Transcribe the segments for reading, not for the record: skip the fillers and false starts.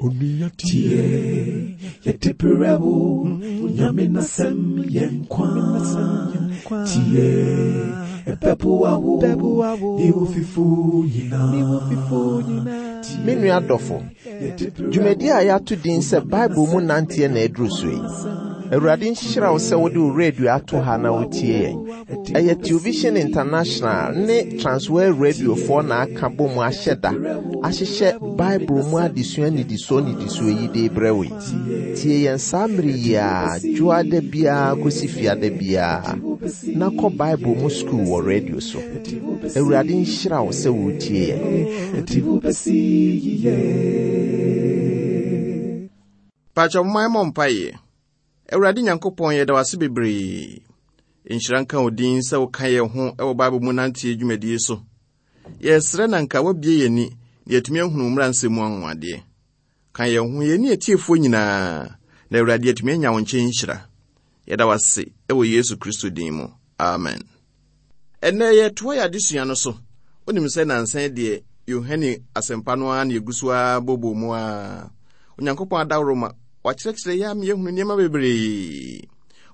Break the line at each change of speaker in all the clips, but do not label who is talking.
Tie, yɛde berɛ wo, Nyame n'asɛm yɛ nkwa. Tie, ɛbɛboa wo, ne wo fifo nyinaa.
Me nua dɔfo, dwumadi a yɛato din sɛ Bible mu nanteɛ na aduru so yi. Awurade nhyira wo sɛ wode wo radio ato ha na wotie yɛn. Ɛyɛ Television International ne Transworld Radiofoɔ na aka bɔ mu ahyɛ da ahyehyɛ Bible mu adesua nnidisoɔ nnidisoɔ yi de rebrɛ wo yi. Tie yɛn saa mmere yi ara, dwoada biara kɔsi fiada biara, na kɔ Bible mu sukuu wɔ radio so. Awurade nhyira wo sɛ woretie yɛn.
Pakyɛ momma yɛmmɔ mpaeɛ. Awurade Nyankopɔn, yɛda wo ase bebree. Nhyira nka wo din sɛ woka yɛn ho wɔ Bible mu nanteɛ dwumadie so. Yɛsrɛ na nka woabue yɛn ani na yɛatumi ahunu wo mmara nsɛm mu anwanwadeɛ. Ka yɛn ho, yɛne atiefoɔ nyinaa, na Awurade yɛatumi anya wo nkyɛn nhyira. Yɛda wo ase wɔ Yesu Kristo din mu. Amen. Ɛnnɛ yɛtoa yɛn adesua no so. Wonim sɛ nnansa yi deɛ Yohane asɛmpa no ara na yɛgu so ara bɔbɔ mu ara. Onyankopɔn adaworo ma wakyerɛkyerɛ yɛn ama yɛahunu nneɛma bebree.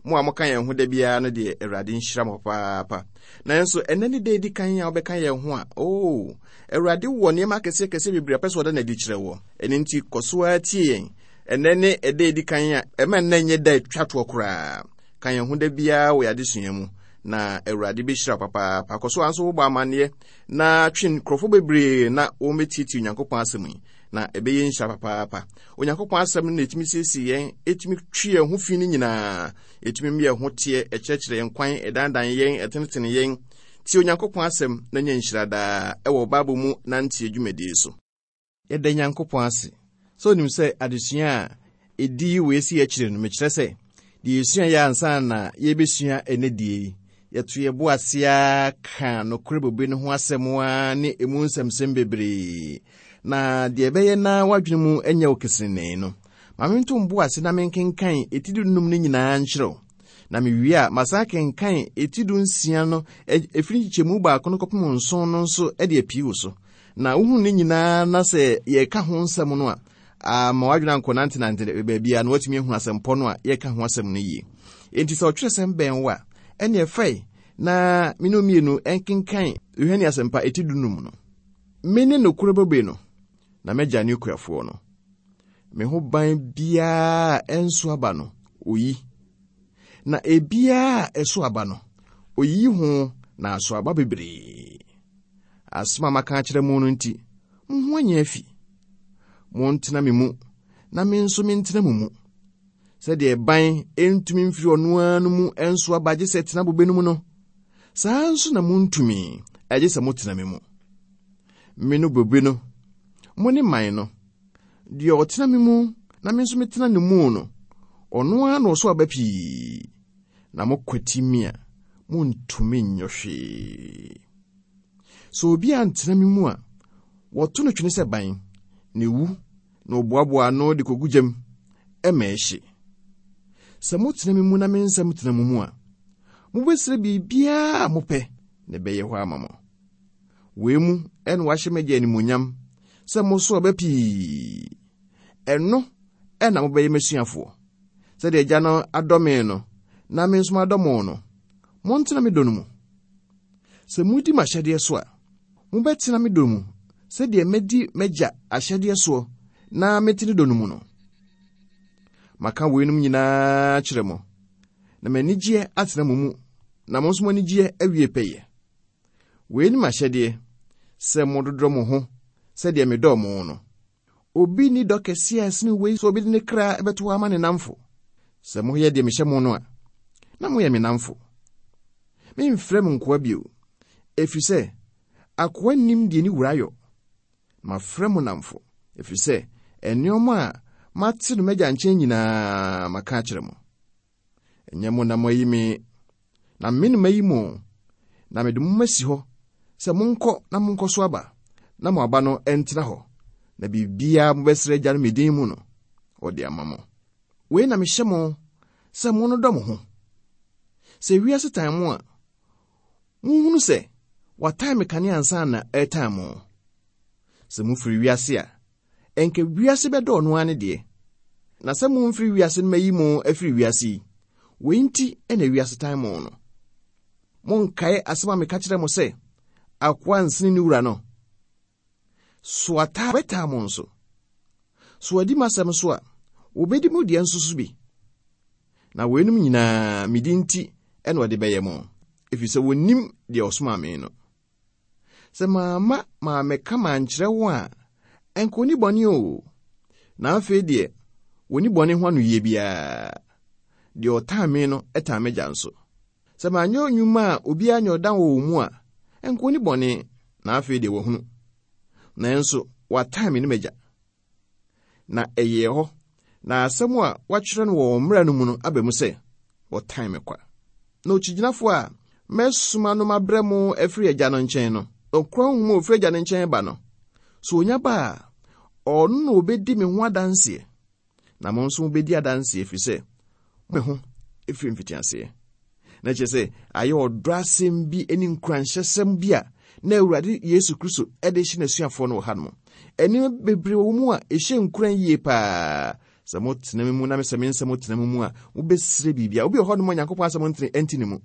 Mo a moka yɛn ho da biara no deɛ Awurade nhyira mo papaapa. Nanso ɛnnɛ ne da edi kan a wobɛka yɛn ho a, oo, Awurade wɔ nneɛma akɛseɛ akɛseɛ bebree a ɔpɛ sɛ ɔda no adi kyerɛ wɔ. Ɛno nti kɔ so ara tie yɛn. Ɛnnɛ ne ɛda edi kan a ɛma nnɛ nyɛ da atwa toɔ koraa. Ka yɛn ho da biara wɔ yɛn adesua mu, na Awurade bɛhyira wo papaapa. Kɔ so ara nso wobɔ amanneɛ na twe nkurɔfoɔ bebree na wɔmmɛtietie Onyankopɔn asɛm yi, na ɛbɛyɛ nhyira papaapa. Onyankopɔn asɛm no na ɛtumi siesie yɛn, ɛtumi twe yɛn ho fi no nyinaa, ɛtumi ma yɛn ho teɛ, ɛkyerɛkyerɛ yɛn kwan, ɛdandan yɛn, ɛtenetene yɛn. Tie Onyankopɔn asɛm na nya nhyira daa ɛwɔ Bible mu nanteɛ dwumadie so. Yɛda Nyankopɔn ase sɛ onim sɛ adesua a edi wei si akyire no, mekyerɛ sɛ, deɛ yɛsua yɛ ansa na yɛrebɛsua ɛnɛ die yi, yɛto yɛn bo ase ara ka nokorɛ bobe no ho asɛm ara ne emu nsɛmsɛm bebree. Na deɛ ɛbɛyɛ na w'adwene mu nyɛ wo kesenenee no, ma mento mbo ase na menkenkan eti dunum no nyinaa nkyerɛ wo. Na mewie a, masan akenkan eti dunsia no, ɛfiri nkyekyɛmu baako no kɔpem nson no nso de apii wo so. Na wohunu ne nyinaa na sɛ yɛka ho nsɛm no a, ama w'adwene ankɔnantenante baabiara na woatumi ahunu asɛmpɔ no a yɛka ho asɛm no yie. Enti sɛ ɔtwerɛsɛm bɛn wo a, ɛnneɛ fae na me ne wo mmienu nkenkan Yohane Asɛmpa eti dunum no. Mene nokorɛ bobe no, na m'agya ne okuafoɔ no. Me ho ban biara a ɛnso aba no, oyi. Na ebiara a ɛso aba no, oyiyi ho na aso aba bebree. Asɛm a maka akyerɛ mo no nti, mo ho anya afi. Montena me mu, na me nso mentena mo mu. Sɛdeɛ ɛban ntumi mfiri ɔno ara no mu nso aba gye sɛ ɛtena bobe no mu no, saa ara nso na montumi, gye sɛ motena me mu. Me no bobe no, mo ne man no. Deɛ ɔtena me mu na me nso metena ne mu no, ɔno ara na ɔso aba pii, na mokwati me a, montumi nyɛ hwee. Sɛ obi antena me mu a, wɔto no twene sɛ ban, na ewu, na wɔboaboa ano de kogu gyam, ɛma ɛhye. Sɛ motena me mu na me nsɛm tena mo mu a, mobɛsrɛ biribiara a mopɛ, na ɛbɛyɛ hɔ ama mo. Wei mu na wɔahyɛ m'agya animuonyam sɛ moso aba pii. Ɛno na mobɛyɛ m'asuafoɔ. Sɛdeɛ Agya no adɔ me no, na me nso madɔ mo no, montena me dɔ no mu. Sɛ modi m'ahyɛdeɛ so a, mobɛtena me dɔ mu sɛdeɛ madi m'agya ahyɛdeɛ soɔ na mete ne dɔ no mu no. Maka weinom nyinaa kyerɛ mo, na m'anigyeɛ atena mo mu, na mo nso mo anigyeɛ awie pɛyɛ. Wei ne m'ahyɛdeɛ, sɛ mododɔ mo ho sɛdeɛ medɔɔ mo no. Obi nni dɔ kɛseɛ a ɛsene wei sɛ obi de ne kra bɛto hɔ ama ne nnamfo. Sɛ moyɛ deɛ mehyɛ mo no a, na moyɛ me nnamfo. Memfrɛ mo nkoa bio, ɛfiri sɛ akoa nnim deɛ ne wura yɔ. Mafrɛ mo nnamfo, ɛfiri sɛ nneɛma a mate no m'agya nkyɛn nyinaa maka akyerɛ mo. Ɛnyɛ mo na moayi me, na me na mayi mo, na mede mo masi hɔ sɛ monkɔ na monkɔ so aba, na mo aba no ntena hɔ, na biribiara mobɛsrɛ Agya no me din mu no, ɔde ama mo. Wei na mehyɛ mo sɛ monnodɔ mo ho. Sɛ wiase tan mo a, monhunu sɛ watan me kane ansa na ɛretan mo. Sɛ mofiri wiase a, Ɛnka wiase bɛdɔ ɔno ara ne deɛ. Na sɛ momfiri wiase no mayi mo afiri wiase yi, wei nti na wiase tan mo no. Monkae asɛm a meka kyerɛ mo sɛ, akoa nsene ne wura no. So ataa bɛtaa mo nso? So wɔadi m'asɛm so a, wɔbɛdi mo deɛ nso so bi? Na weinom nyinaa me din nti na wɔde bɛyɛ mo, ɛfiri sɛ wɔnnim deɛ ɔsomaa me no. Sɛ mamma mammɛka mankyerɛ wɔn a, ɛnka wɔnni bɔne o. Na afei deɛ, wɔnni bɔne ho anoyie biara. Deɛ ɔtan me no tan m'agya nso. Sɛ manyɛ nnwuma a obiara nyɛ ɔdan wɔ wɔn mu a, ɛnka onni bɔne, na afei deɛ wahunu. Nanso wɔatan me ne m'agya. Na ɛyɛɛ hɔ, na asɛm a wɔatwerɛ no wɔ wɔn mmara no mu no aba mu sɛ, wɔtan me kwa. Na okyigyinafo a mɛsoma no mabrɛ mo afiri Agya no nkyɛn no, ɔkura honhom a ofiri Agya no nkyɛn ba no, sɛ onya ba a, ɔno na obedi me ho adanseɛ. Na mo nso mobɛdi adanseɛ, ɛfiri sɛ me ho ɛfiri mfitiaseɛ. Na kyerɛ sɛ ayɛ ɔdɔ asɛm bi ne nkuranhyɛsɛm bi a na Awurade Yesu Kristo de hyɛ n'asuafoɔ no wɔ hanom. Nneɛma bebree wɔ mu a ɛhyɛ nkuran yie paa. Sɛ motena me mu na mesɛ me nsɛm tena mo mu a, mobɛsrɛ biribiara. Obi wɔ hɔnom a Nyankopɔn asɛm ntene ɛnte ne mu.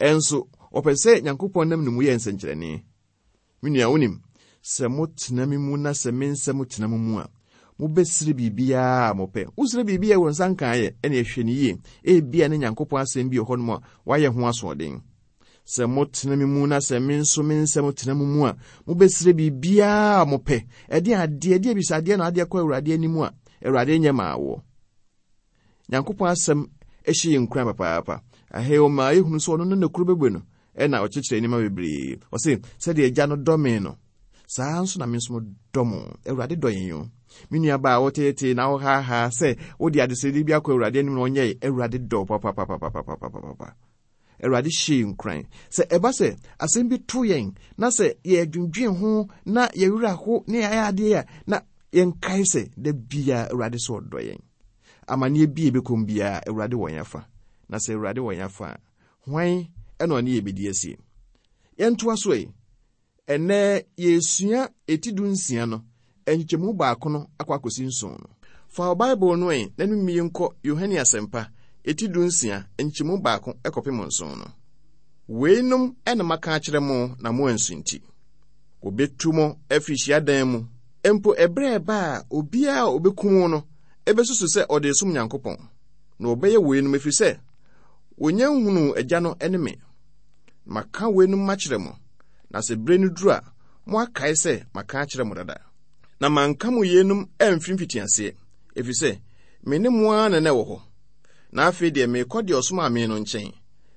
Ɛnso ɔpɛ sɛ Nyankopɔn nam ne mu yɛ nsɛnkyerɛnne. Me nua, wonim, sɛ motena me mu na sɛ me nsɛm tena mo mu a, mobɛsrɛ biribiara a mopɛ. Wosrɛ biribi a wo nsa nkaeɛ, ɛne ɛhwɛ no yie. Ebia ne Nyankopɔn asɛm bi wɔ hɔnom a woayɛ ho asoɔden. Sɛ motena me mu na sɛ me nso me nsɛm tena mo mu a, mobɛsrɛ biribiara a mopɛ. Ɛdeɛn adeɛ, ɛdeɛn abisadeɛ na wode akɔ Awurade anim a Awurade nyɛ maa woɔ? Nyankopɔn asɛm hyɛ yɛn nkuran papaapa. Ahei ɔma yɛhunu sɛ ɔno ne nokoro bɛbue no ɛna ɔkyerɛkyerɛ nneɛma bebree. Ɔse, sɛdeɛ agya no dɔ me no, saa nso na me nso dɔ mo. Awurade dɔ yɛn o. Me nua baa woteetee na wohaahaa sɛ wode adesrɛdeɛ bi akɔ Awurade anim na ɔnyɛe. Awurade dɔ papapapapapapapa. Awurade hyɛ yɛn nkuran. Sɛ ɛba sɛ asɛm bi to yɛn na sɛ yɛdwendwen ho na yɛwerɛ aho na yɛayɛ adeɛ a, na yɛnkae sɛ da biara Awurade sɛ ɔdɔ yɛn. Amanneɛ bi a ɛbɛkɔm biara, Awurade wɔ yɛn afa. Na sɛ Awurade wɔ yɛn afa a, hwan na ɔne yɛn bɛdi asie? Yɛntoa so ɛ. Ɛnnɛ yɛresua eti dunsia no, nkyekyɛmu baako no akɔ akɔsi nson no. Fa wo Bible no ɛ na ne mmie nkɔ Yohane Asɛmpa, eti dunsia, nkyekyɛmu baako kɔpem nson no. Weinom na maka akyerɛ mo na moansunti. Wɔbɛtu mo afiri hyiadan mu. Mpo ɛberɛ a ɛba a obiara a ɔbɛkum wo no bɛsusu sɛ ɔde resom Nyankopɔn. Na wɔbɛyɛ weinom ɛfiri sɛ wɔnnya nhunuu Agya no ne me. Maka weinom makyerɛ mo, na sɛ berɛ no duru a, moakae sɛ maka akyerɛ mo dada. Na manka mo yeinom amfiri mfitiaseɛ, ɛfiri sɛ me ne mo ara na na ɛwɔ hɔ. Na afei deɛ merekɔ deɛ ɔsomaa me no nkyɛn,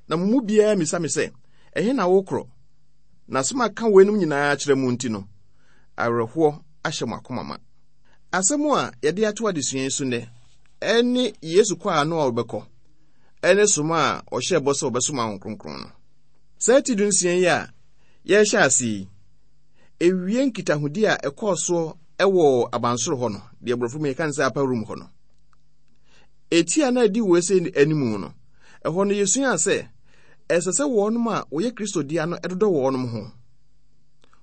na mo mu biara mmisa me sɛ, Ɛhe na worekorɔ? Na sɛ maka weinom nyinaa akyerɛ mo nti no, awerɛhoɔ ahyɛ mo akoma ma. Asɛm a yɛde ato adesua yi so nnɛ ne Yesu kɔ a na ɔrebɛkɔ ne soma a ɔhyɛɛ bɔ sɛ ɔbɛsoma Honhom Kronkron no. Saa ti dunsia yi a yɛrehyɛ ase yi, ewie nkitahodi a ɛkɔɔ soɔ wɔ abansoro hɔ no, deɛ borɔfo mu yɛka no sɛ upper room hɔ no. Eti a na edi wɔ ese anim no, ɛhɔ no yɛsuaa sɛ ɛsɛ sɛ wɔnom a wɔyɛ Kristo dea no dodɔ wɔnom ho.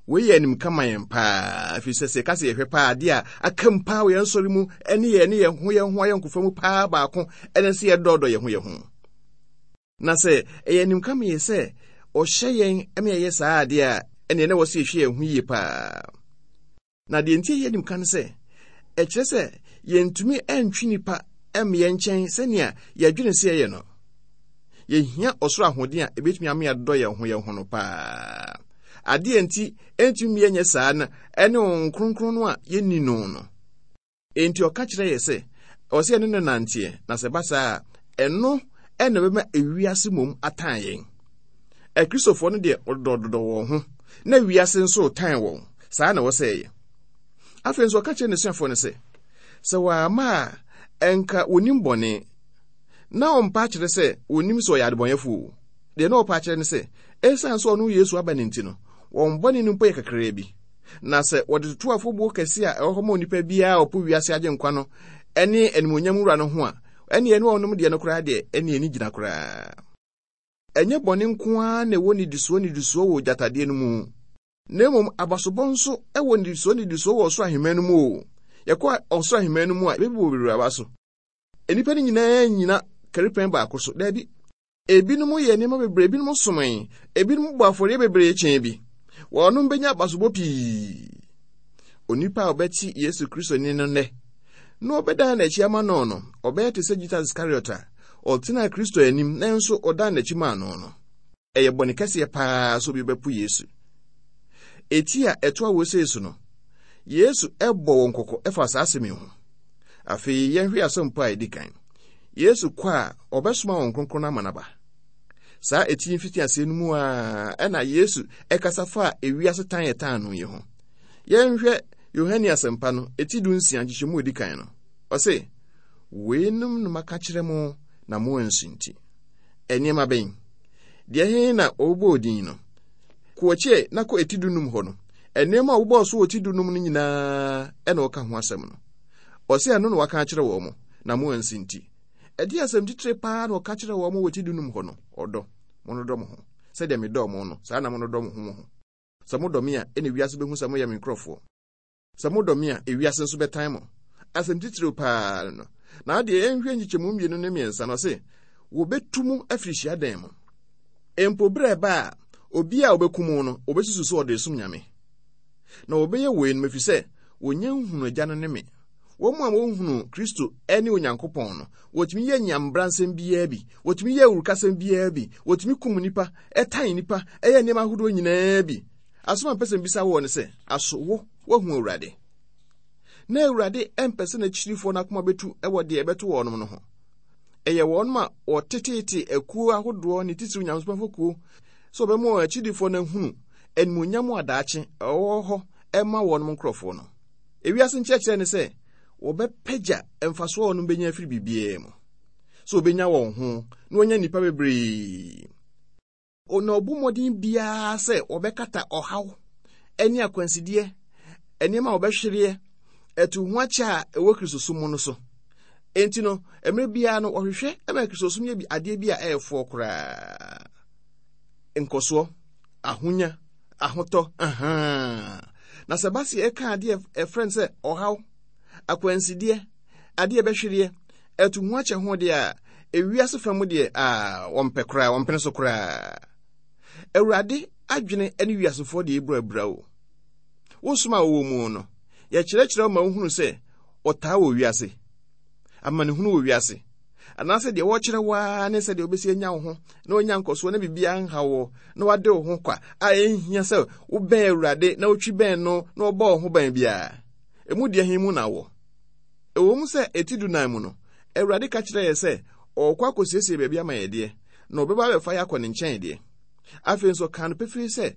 Wei yɛ animka ma yɛn paa, ɛfiri sɛ sɛ yɛka sɛ yɛhwɛ paa adeɛ a aka mu paa wɔ yɛn nsɔre mu ne yɛn ne yɛn ho yɛn ho ayɔnkofa mu paa baako ɛne sɛ yɛdɔɔdɔ yɛn ho yɛn ho. Na sɛ ɛyɛ animka ma yɛ sɛ ɔhyɛ yɛn ma yɛyɛ saa adeɛ a, ɛneɛ na ɛwɔ sɛ yɛhwɛ yɛn ho yie paa. Na deɛ nti ɛyɛ animka ne sɛ, ɛkyerɛ sɛ yɛntumi ntwe nnipa mma yɛn nkyɛn sɛnea yɛdwene sɛ yɛyɛ no. Yɛhia ɔsoro ahoɔden a ɛbɛtumi ama yɛadodɔ yɛn ho yɛn ho no paa. Adeɛ nti ɛntumi mma yɛnyɛ saa no ɛne Honhom Kronkron no a yɛnni no no. Enti ɔka kyerɛ yɛ sɛ ɛwɔ sɛ yɛne no nanteɛ, na sɛ ɛba saa a, ɛno na ɛbɛma ewiase mmom atan yɛn. Akristofoɔ no deɛ wɔdodɔdodɔ wɔn ho, na wiase nso retan wɔn. Saa na ɛwɔ sɛ ɛyɛ. Afei nso ɔka kyerɛ n'asuafoɔ no sɛ, sɛ wɔamma a, ɛnka wɔnim bɔne. Na ɔmpa akyerɛ sɛ wɔnim sɛ ɔyɛ adebɔnyɛfoɔ o. Deɛ na ɔpa akyerɛ ne sɛ, ɛsiane sɛ ɔno Yesu aba no nti no, wɔn bɔne no mpo yɛ kakraa bi. Na sɛ wɔde toto afɔbuo kɛse a ɛwɔ hɔ ma onipa biara a ɔpo wiase agyenkwa no ne animuonyam wura no ho a, ɛne ɛne ɔnom deɛ no koraa deɛ, ɛne ani gyina koraa. Ɛnyɛ bɔne nko ara na ɛwɔ nnidisoɔ nnidisoɔ wɔ gyatadeɛ no mu, na mmom abasobɔ nso wɔ nnidisoɔ nnidisoɔ wɔ ɔsoro ahemman no mu o. Yɛkɔ ɔsoro ahemman no mu a, yɛbɛbobɔ bebree aba so. Nnipa no nyinaa nnyina karipɛn baako so. Daabi. Ebinom yɛ nneɛma bebree, ebinom somee, ebinom bɔ afɔreɛ bebree kyɛn bi. Wɔnom bɛnya abasobɔ pii. Onipa a ɔbɛte Yesu Kristo nne no nnɛ na ɔbɛdan n'akyi ama no no, ɔbɛyɛ te sɛ Judas Iskariot a ɔtenaa Kristo anim nanso ɔdan n'akyi maa no no. Ɛyɛ bɔne kɛseɛ paa sɛ obi bɛpo Yesu. Eti a ɛtoa wɔ sei so no, Yesu bɔ wɔn kɔkɔ fa saa asɛm yi ho. Afei yɛnhwɛ asɛmpa a ɛdi kan. Yesu kɔ a, ɔbɛsoma wɔn kronkron no ama no aba. Saa eti mfitiaseɛ no mu a ɛna Yesu ɛkasa fa ewiase tan ɛtan no yi ho. Yɛnhwɛ Yohane asɛmpa no, eti 16 nkyekyɛmu edi kan no. Ɔse, weinom no maka kyerɛ mo na mo ansunti. Nneɛma bɛn? Deɛ he na wɔbobɔɔ din no? Kɔ akyi na kɔ eti 15 hɔ no. Nneɛma a wɔbobɔɔ so wɔ ti 15 no nyinaa ɛna ɔka ho asɛm no. Ɔse ɛno na waka akyerɛ wɔn mo, na mo ansi nti. Ɛdeɛn asɛm titire paa na ɔka kyerɛɛ wɔn wɔ ti 15 hɔ no? Ɔdɔ. Monnodɔ mo ho. Sɛdeɛ medɔɔ mo no, saa na monnodɔ mo ho mo ho. Sɛ modɔ me a, ɛnna wiase bɛhu sɛ moyɛ me nkurɔfoɔ. Sɛ modɔ me a, ewiase nso bɛtan mo. Asɛm titiriw paa no. Na adeɛ yɛnhwɛ nkyekyɛmu 2 ne 3 no, ɔse, wɔbɛtu mo afiri hyiadan mu. Mpo berɛ ɛba a, obi a ɔbɛku mo no, ɔbɛsusu sɛ ɔde resom Nyame. Na wɔbɛyɛ weinom ɛfiri sɛ wɔnnya nhunu Agya no ne me. Wɔn a wɔnhunu Kristo ne Onyankopɔn no, wɔtumi yɛ nyambransɛm biara bi, wɔtumi yɛ awurukasɛm biara bi, wɔtumi kum nnipa, ɛtan nnipa, ɛyɛ nneɛma ahodoɔ nyinaa bi. Asɛm a mpɛ sɛ mbisa woɔ ne sɛ, aso wo, woahu Awurade? Na Awurade mpɛ sɛ n'akyirifoɔ no akoma bɛtu wɔ deɛ ɛbɛto wɔnom no ho. Ɛyɛ wɔnom a wɔteteete akuo ahodoɔ ne titiriw nyamesomafo kuo sɛ wɔbɛma wɔn akyidifoɔ no ahunu animuonyam a daakye ɛwɔ hɔ ɛma wɔnom nkurɔfoɔ no. Ewiase nkyerɛkyerɛ ne sɛ wɔbɛpagya mfasoɔ a wɔnom bɛnya afiri biribiara mu, sɛ wɔbɛnya wɔn ho na wɔanya nnipa bebree. Na ɔbu mmɔden biara sɛ wɔbɛkata ɔhaw ne akwansideɛ, nneɛma a wɔbɛhwereɛ, ɛto ho akyɛ a ɛwɔ Kristosom mu no so. Enti no, mmerɛ biara no, wɔhwehwɛ ma Kristosom yɛ adeɛ bi a ɛyɛ foɔ koraa. Nkɔsoɔ, ahonya, ahotɔ, ahaa. Na sɛ ba sɛ ɛka adeɛ ɛfrɛ no sɛ ɔhaw, akwansideɛ, adeɛ ɛbɛhwereɛ, ɛto ho akyɛ ho deɛ a, ewiase fa mu deɛ a, wɔmpɛ koraa, wɔmpene so koraa. Awurade adwene ne wiasefoɔ deɛ ɛbura abura o. Wo som a wowɔ mu no, yɛkyerɛkyerɛ wo ma wohunu sɛ ɔtaa wɔ wiase, amanehunu wɔ wiase, anaasɛ deɛ wɔkyerɛ wo ara ne sɛdeɛ wobɛsi anya wo ho na woanya nkɔsoɔ na biribiara nha wo na wade wo ho kwa a ɛnhia sɛ wobɛn Awurade na wotwi bɛn no na wɔbɔ wo ho ban biara. Emu deɛ he mu na wɔ? Ɛwɔ mu sɛ eti 14 mu no, Awurade ka kyerɛɛ yɛ sɛ ɔrekɔ akɔsiesie baabi ama yɛ deɛ, na ɔbɛba abɛfa yɛ akɔ ne nkyɛn deɛ. Afei nso ɔkaa no pefee sɛ,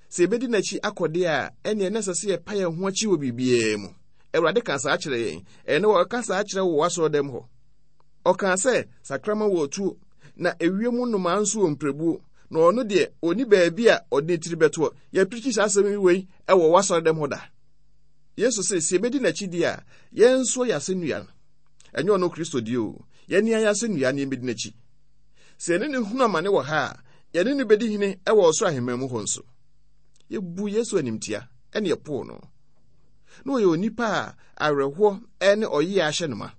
sɛ yɛbɛdi n'akyi akɔ deɛ a, ɛnneɛ na ɛsɛ sɛ yɛpa yɛn ho akyi wɔ biribiara mu. Awurade kaa saa kyerɛ yɛn. Ɛnnɛ wɔka saa kyerɛ wo wɔ w'asɔrɔdɛm hɔ. Ɔkaa sɛ, sakraman wɔ atuo, na ewiem nnomaa nso wɔ mpirebuo, na ɔno deɛ, ɔnni baabi a ɔde ne tiri bɛtoɔ. Yɛapirikyi saa asɛm yi wei wɔ w'asɔrɔdɛm hɔ da. Yesu se, sɛ yɛbɛdi n'akyi deɛ a, yɛnsoa yɛn asɛnnua no. Ɛnyɛ ɔno Kristo deɛ o, yɛne yɛn asɛnnua no yɛbɛdi n'akyi. Sɛ yɛne no hunu amane wɔ ha a, yɛne no bɛdi hene wɔ ɔsoro ahemman mu hɔ nso. Yɛbu Yesu animtia ɛne yɛpoo no. Na ɔyɛ onipa a awerɛhoɔ ne ɔyea ahyɛ no ma.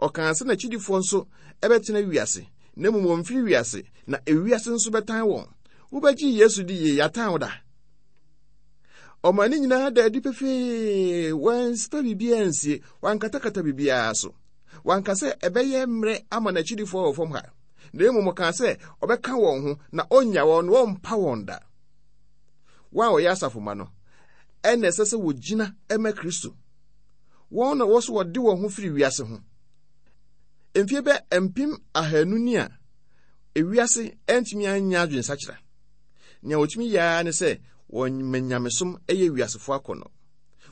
Ɔkaa sɛ n'akyidifoɔ nso bɛtena wiase, na mmom wɔmfiri wiase, na ewiase nso bɛtan wɔn. Wobɛgye Yesu di yie, yɛatan wo da. Ɔma ne nyinaa da adi pefee, wansipa biribiara nsie, wankatakata biribiara so. Wanka sɛ ɛbɛyɛ mmerɛ ama n'akyidifoɔ wɔ fam ha, na mmom ɔkaa sɛ ɔbɛka wɔn ho na ɔnnya wɔn na ɔmpa wɔn da. Wɔn a wɔyɛ asafo mma no, ɛna ɛsɛ sɛ wɔgyina ma Kristo. Wɔn na wɔ so wɔde wɔn ho firi wiase ho. Mfie bɛ 200,000 ni a ewiase antumi anya adwensakyera. Nea wɔtumi yɛ ara ne sɛ wɔma nyamesom yɛ wiasefoɔ akɔnnɔ.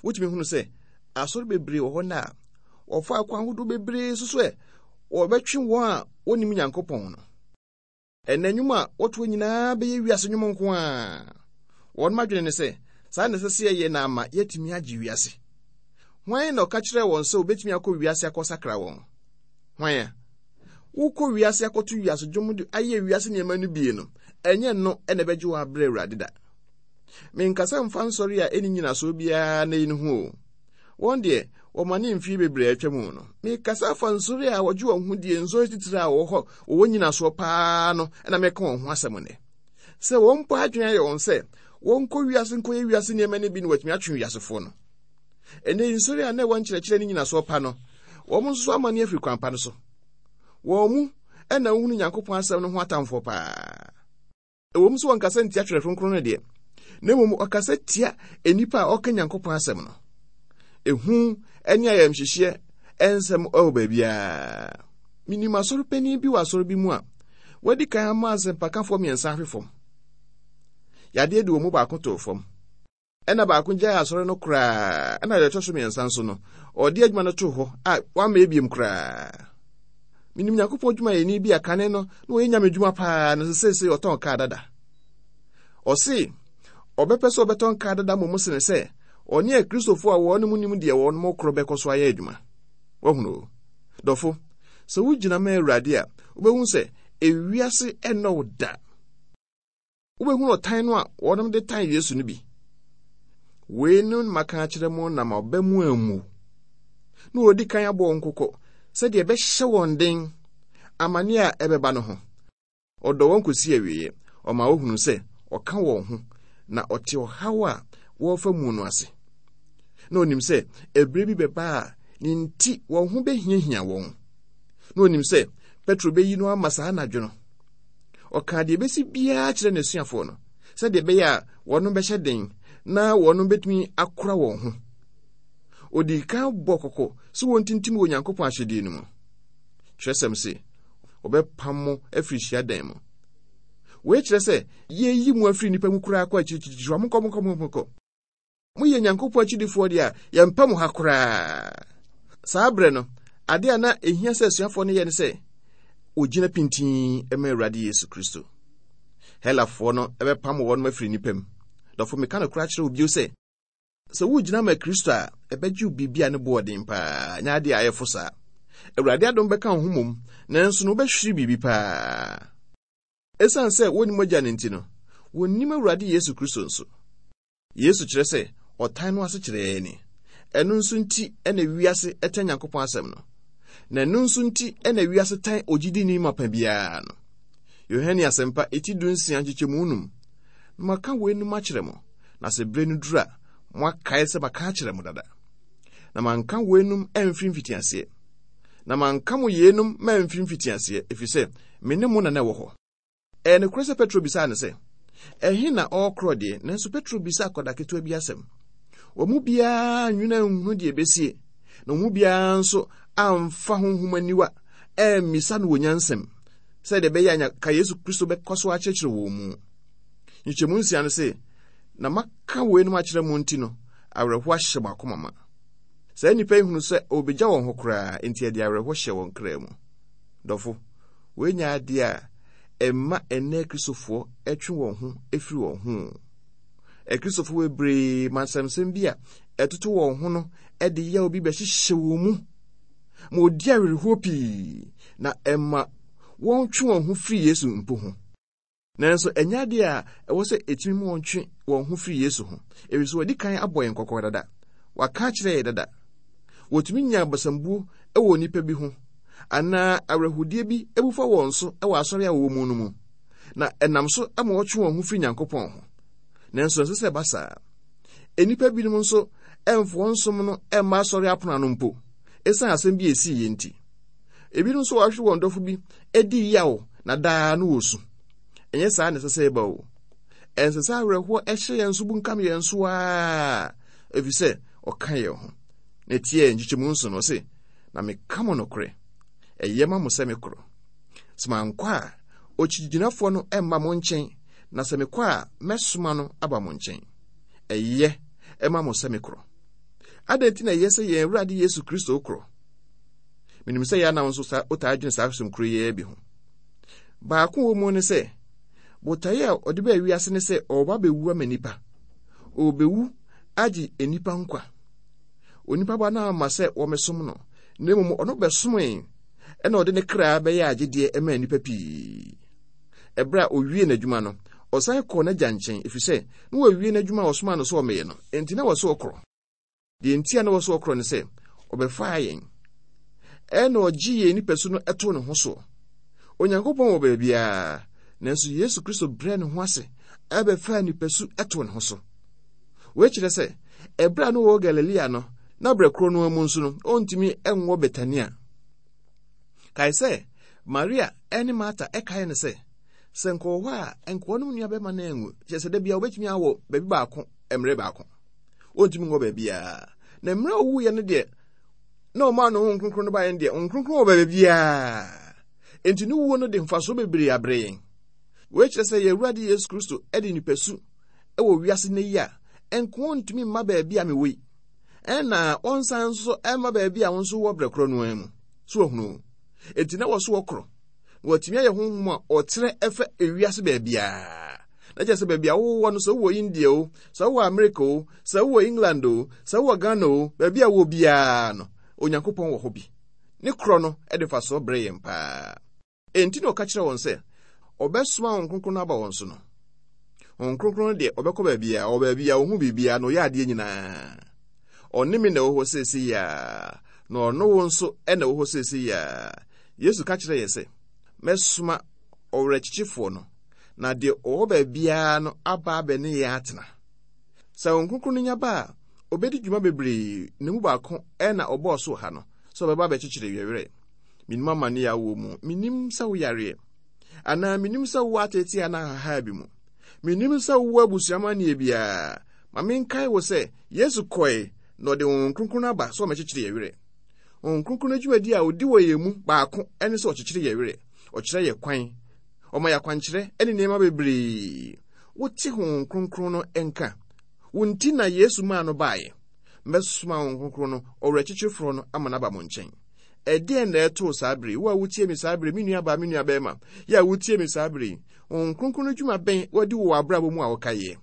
Wotumi hunu sɛ asɔre bebree wɔ hɔ nnɛ a wɔfa akwan ahodoɔ bebree so sɛ wɔbɛtwe wɔn a wɔnnim Nyankopɔn no. Ɛnnɛ nnwom a wɔtoɔ nyinaa bɛyɛ wiase nnwom nko ara. Wɔn adwene ne sɛ saa na ɛsɛ sɛ yɛyɛ na ama yɛatumi agye wiase. Hwan na ɔka kyerɛɛ wɔn sɛ wɔbɛtumi akɔ wiase akɔsakra wɔn? Hwan a? Wokɔ wiase akɔto wiase dwom de ayɛ wiase nneɛma no bie no, ɛnyɛ no na ɛbɛgye wo abrɛ Awurade da. Menkasa mfa nsɔre a ɛnni nnyinasoɔ biara nnɛ yi no ho o. Wɔn deɛ, Wɔma ne mfeɛ bebree atwa mu no. Mekasa afa nsɔre a wɔgye wɔn ho die, nsɔre titire a wɔwɔ hɔ, wɔwɔ nyinasoɔ paa no, ɛna meka wɔn ho asɛm nnɛ. Sɛ wɔn mpo adwene ayɛ wɔn sɛ wɔnkɔ wiase nkɔyɛ wiase nneɛma no bi na wɔatumi atwe wiasefoɔ no. Ɛnnɛ yi nsɔre a na ɛwɔ nkyerɛkyerɛ ne nyinasoɔ pa no, wɔn nso so amane afiri kwan pa no so. Wɔn mu ɛna wohunu Nyankopɔn asɛm no ho atamfoɔ paa. Ɛwom sɛ wɔnkasa ntia Twerɛ Kronkron no deɛ, na mmom wɔkasa tia nnipa a wɔka Nyankopɔn asɛm no. Ehu ne ayamhyehyeɛ nsɛm wɔ baabiara. Menim asɔre panin bi wɔ asɔre bi mu a wadi kan ama asɛmpakafoɔ mmiɛnsa ahwe fam. Yadeɛ de wɔn mu baako too fam. Ɛna baako gyaee asɔre no koraa, ɛna deɛ ɛtɔ so mmiɛnsa nso no, ɔde adwuma no too hɔ a wamma ebiem koraa. Menim Nyankopɔn dwumayɛni bi a kane no na ɔyɛ nyame dwuma paa no seesei ɔtɔn kaa dada. Ɔse ɔbɛpɛ sɛ ɔbɛtɔn kaa dada mmom sene sɛ ɔne Akristofoɔ a wɔn nim deɛ wɔn korɔ bɛkɔ so ayɛ adwuma. Wahunu o. Dɔfo, sɛ wogyina ma Awurade a, wobɛhu sɛ ewiase ɛnnɔ wo da. Wobɛhunu ɔtan no a wɔnom de tan Yesu no bi. Wei no maka akyerɛ mo na ma ɔba mu ammu. Na wɔdi kan abɔ wɔn kɔkɔ sɛdeɛ ɛbɛhyɛ wɔn den amane a ɛbɛba no ho. Ɔdɔ wɔn kɔsi awieeɛ. Ɔma wɔhunu sɛ ɔka wɔn ho na ɔte ɔhaw a wɔrefa mu no ase. Na ɔnim sɛ ɛberɛ bi bɛba a ne nti wɔn ho bɛhiahia wɔn. Na ɔnim sɛ Petro bɛyi no ama saa anadwo no. Ɔkaa deɛ ɛbɛsi biara kyerɛ n'asuafoɔ no sɛdeɛ ɛbɛyɛ a wɔn bɛhyɛ den na wɔn bɛtumi akora wɔn ho. Ɔdii kan bɔ kɔkɔ sɛ wɔntintim wɔ Onyankopɔn ahyɛdeɛ no mu. Twerɛsɛm se, wɔbɛpam mo afiri hyiadan mu. Wei kyerɛ sɛ yɛyi mo afiri nnipa mu koraa kɔ akyirikyirikyiri, monkɔ, monkɔ, monkɔ. Moyɛ Nyankopɔn akyidifoɔ deɛ a, yɛmpɛ mo ha koraa. Saa berɛ no, adeɛ a na ɛhia sɛ asuafoɔ no yɛ ne sɛ wɔgyina pintinn ma Awurade Yesu Kristo. Helafoɔ no bɛpam wɔn afiri nnipa mu. Dɔfo, meka no koraa kyerɛ wo bio sɛ, sɛ wogyina ma Kristo a, ɛbɛgye wo biribi a ne boɔ den paa, nyɛ adeɛ a ɛyɛ fo saa. Awurade adom bɛka wo ho mmom, nanso no wobɛhwere biribi paa. Esiane sɛ wonnim Agya no nti no, wonnim Awurade Yesu Kristo nso. Yesu kyerɛ sɛ ɔtan no ase kyerɛ ni. Ɛno nso nti na wiase tan Nyankopɔn asɛm no. Na ɛno nso nti na wiase tan ogyidini mapa biara no. Yohane Asɛmpa eti dunsia nkyekyɛmu num. Na maka weinom akyerɛ mo, na sɛ bere no duru a, moakae sɛ maka akyerɛ mo dada. Na manka weinom amfiri mfitiaseɛ. Na manka mo yeinom mamfiri mfitiaseɛ, ɛfiri sɛ me ne mo na na ɛwɔ hɔ. Ɛyɛ nokorɛ sɛ Petro bisaa no sɛ, Ɛhe na ɔrekorɔ deɛ? Nanso Petro bisaa akwadaa ketewa bi asɛm. Wɔn mu biara nwene anhunu deɛ ɛbɛsie, na wɔn mu biara nso amfa honhom aniwa ammisa no wɔ nyansam sɛdeɛ ɛbɛyɛ a ka Yesu Kristo bɛkɔ so akyerɛkyerɛ wɔn mu. Nkyɛmu nsia no se, Na maka weinom akyerɛ mo nti no, awerɛhoɔ ahyɛ mo akoma ma. Saa nnipa yi hunu sɛ ɔrebɛgya wɔn hɔ koraa, enti ɛde awerɛhoɔ hyɛ wɔn kra mu. Dɔfo, wei nyɛ adeɛ a ɛma ɛnnɛ Akristofoɔ twe wɔn ho firi wɔn ho. Akristofoɔ bebree ma nsɛmsɛm bi a ɛtoto wɔn ho no de yaw bi bɛhyehyɛ wɔn mu ma wɔdi awerɛhoɔ pii na ɛma wɔntwe wɔn ho firi Yesu mpo ho. Nanso ɛnyɛ adeɛ a ɛwɔ sɛ ɛtumi ma wɔntwe wɔn ho firi Yesu ho, ɛfiri sɛ wɔadi kan abɔ yɛn kɔkɔ dada. Waka akyerɛ yɛn dada. Wɔtumi nya abasambuo wɔ onipa bi ho anaa awerɛhodeɛ bi abu fa wɔn so wɔ asɔre a wɔwɔ mu no mu, na ɛnam so ma wɔtwe wɔn ho firi Nyankopɔn ho. Nanso ɛnsɛ sɛ ɛba saa. Nnipa binom nso ɛmfa wɔn som no mma asɔre apono ano mpo, ɛsiane asɛm bi a ɛsiiɛ nti. Ebinom nso wɔahwere wɔn dɔfo bi di yaw na daa no wɔsu. Ɛnyɛ saa na ɛsɛ sɛ ɛba o. Ɛnsɛ sɛ awerɛhoɔ ɛhyɛ yɛn so bunkam yɛn so ara, ɛfiri sɛ ɔka yɛn ho. Na ɛtiɛ nkyekyɛmu nso no, ɔse, Na meka mo nokorɛ, ɛyɛ ma mo sɛ mekorɔ. Sɛ mankɔ a, okyigyinafoɔ no mma mo nkyɛn, na sɛ mekɔ a, mɛsoma no aba mo nkyɛn. Ɛyɛ ma mo sɛ mekorɔ. Adɛn nti na ɛyɛ sɛ yɛn Awurade Yesu Kristo korɔ? Menim sɛ yɛn anam nso saa wotaa dwene saa asɛm koro yi bi ho. Baako wɔ mu ne sɛ, botaeɛ a ɔde baa wiase ne sɛ ɔreba bɛwu ama nnipa. Ɔrebɛwu agye nnipa nkwa. Onipa ba no amma sɛ wɔmmɛsom no, na mmom ɔno bɛsomee ɛna ɔde ne kra bɛyɛ agyedeɛ maa nnipa pii. Ɛberɛ a ɔwie n'adwuma no, ɔsan kɔɔ n'agya nkyɛn, ɛfiri sɛ na wawie n'adwuma a ɔsomaa no sɛ ɔmmɛyɛ no, enti na wɔ sɛ ɔkorɔ. Deɛ nti a na wɔ sɛ ɔkorɔ ne sɛ, Ɔbɛfaa yɛn. Ɛna ɔgye yɛn nipasu no too ne ho soɔ. Onyankopɔn wɔ baabiara, nanso Yesu Kristo brɛɛ ne ho ase ɛbɛfaa nipasu too ne ho so. Wei kyerɛ sɛ, ɛberɛ a na ɔwɔ Galilea no, na berɛ korɔ no ara mu nso no, ɔntumi nwɔ Betania. Kae sɛ, Maria ne Marta kae no sɛ, sɛ nka ɔwɔ hɔ a, nka wɔnom nuabɛma no anwu. Kyerɛ sɛ, da bia wɔbɛtumi awɔ baabi baako mmerɛ baako. Ɔntumi nwɔ baabiara. Na mmerɛ a ɔwuiɛ no deɛ, na ɔmaa no Honhom Kronkron no baeɛ no deɛ, Honhom Kronkron wɔ baabiara. Enti ne wuo no de mfasoɔ bebree abrɛ yɛn. Wei kyerɛ sɛ yɛn Awurade Yesu Kristo de nipasu wɔ wiase nnɛ yi a, nka ɔntumi mma baabi a mewɔ yi. Ɛna ɔnsan nso mma baabi a wo nso wɔ berɛ korɔ no ara mu. So wahunu? Enti na wɔso wɔkorɔ. Na wɔatumi ayɛ honhom a ɔtrɛ ɛfɛ ewiase baabiara. Na kyerɛ sɛ baabi a wowɔ no, sɛ wowɔ India o, sɛ wowɔ America o, sɛ wowɔ England o, sɛ wowɔ Ghana o, baabi a wowɔ biara no, Onyankopɔn wɔ hɔ bi. Ne korɔ no de mfasoɔ brɛ yɛn paa. Enti na ɔka kyerɛ wɔn sɛ ɔbɛsoma Honhom Kronkron no aba wɔn so no. Honhom Kronkron no deɛ ɔbɛkɔ baabiara, ɔwɔ baabiara, ɔhu biribiara, na ɔyɛ adeɛ nyinaa. Ɔne me na ɛwɔ hɔ seesei yi ara, na ɔno wo nso na ɛwɔ hɔ seesei yi ara. Yesu ka kyerɛ yɛn sɛ, mɛsoma ɔwerɛkyekyefoɔ no, na deɛ ɔwɔ baabiara no aba abɛne yɛn atena. Sɛ Honhom Kronkron no nya ba a, ɔbɛdi dwuma bebree, na mu baako na ɔbɔɔ so wɔ ha no, sɛ ɔbɛba abɛkyekyere yɛn werɛ. Menim amane a wowɔ mu. Menim sɛ woyareɛ. Anaa menim sɛ wowɔ ateetee anaa ahahaa bi mu. Menim sɛ wowɔ abusua amanneɛ biara. Ma menkae wo sɛ Yesu kɔe na ɔde Honhom Kronkron no aba sɛ ɔmmɛkyekyere yɛn werɛ. Honhom Kronkron no dwumadi a ɔdi wɔ yɛn mu baako ne sɛ ɔkyekyere yɛn werɛ, ɔkyerɛ yɛn kwan, ɔma yɛn akwankyerɛ ne nneɛma bebree. Wote Honhom Kronkron no nka? Wo nti na Yesu maa no baeɛ. Mɛsoma Honhom Kronkron no, ɔwerɛkyekyefoɔ no, ama no aba mo nkyɛn. Ɛdeɛn na ɛtoo saa bere yi? Wo a wotie me saa bere yi, me nuabaa, me nuabɛrima, yɛ a wotie me saa bere yi, Honhom Kronkron no dwuma bɛn wadi wɔ w'abrabɔ mu a wokaeɛ?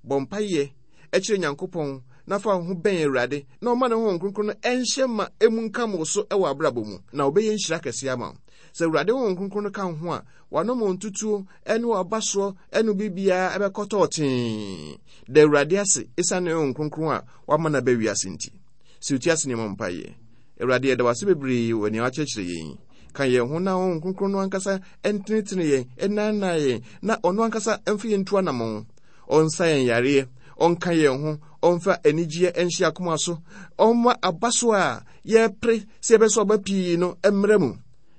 Bɔ mpaeɛ kyerɛ Nyankopɔn na fa wo ho bɛn Awurade na ɔma ne Honhom Kronkron no nhyɛ ma emu nkam wo so wɔ abrabɔ mu, na ɔbɛyɛ nhyira kɛseɛ ama wo. Sɛ Awurade Honhom Kronkron no ka wo ho a, w'anammɔntutuo ne w'abasoɔ ne wo biribiara bɛkɔ tɔɔtee. Da Awurade ase esiane ne Honhom Kronkron a wama no aba wiase nti. Sɛ wotie ase ne mmɔ mpaeɛ. Awurade, yɛda wo ase bebree wɔ nea woakyerɛkyerɛ yɛn yi. Ka yɛn ho na Honhom Kronkron no ankasa ntenetene yɛn, nnaadaa yɛn, na ɔno ankasa mfa yɛn ntu anammɔn. Ɔnsa yɛn yareɛ, ɔnka yɛn ho, ɔmfa anigyeɛ nhyɛ akoma so, ɔmma aba so a yɛrepere sɛ yɛbɛso aba pii no mmra mu.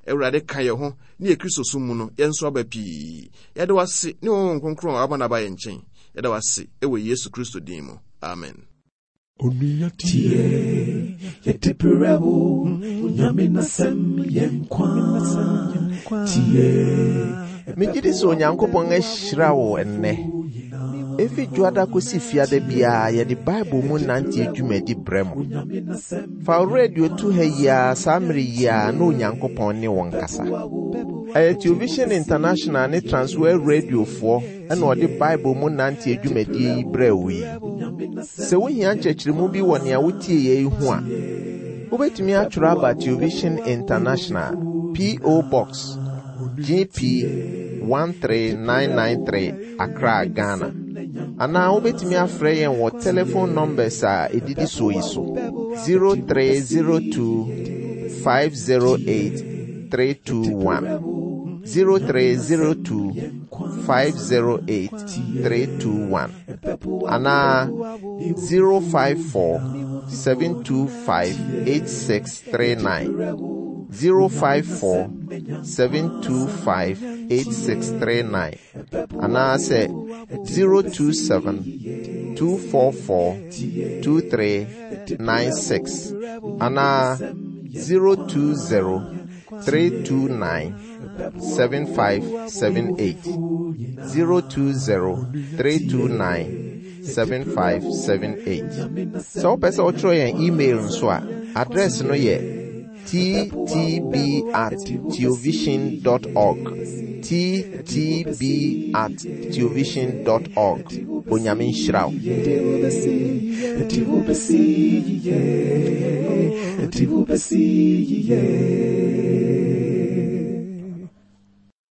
Awurade, ka yɛn ho ne yɛ Kristo som mu no yɛnso aba pii. Yɛda wo ase ne Honhom Kronkron a wama no aba yɛn nkyɛn. Yɛda wo ase wɔ Yesu Kristo din mu. Amen.
Onua tie, yɛde brɛ wo, Onyame n'asɛm yɛ nkwa. Tie.
Megye di sɛ Onyankopɔn ahyira wo ɛnnɛ. Efi Dwoada kosi Fiada biara yɛde Bible mu nante dwumadi brɛ mo. Fa wo radio to ha yi ara saa mmere yi ara na Onyankopɔn ne wo nkasa. Ɛyɛ Television International ne Transworld Radiofoɔ na ɔde Bible mu nante dwumadie yi brɛɛ wo yi. Sɛ wohia nkyerɛkyerɛmu bi wɔ nea wotieeɛ yi ho a, wobɛtumi atwerɛ aba Television International, P.O. Box, GP 13993, Accra, Ghana. Anaa wobɛtumi afrɛ yɛn wɔ telephone numbers a ɛdidi soɔ yi so 0302 508 321 0302 508 321 anaa 054 725 8639 054 725 8639 anaasɛ 027 244 2396 anaa 020 329 7578 020 329 7578. Sɛ wopɛ sɛ wotwerɛ yɛn email nso a, address no yɛ ttb at theovision dot org ttb at theovision dot org. Onyame nhyira wo.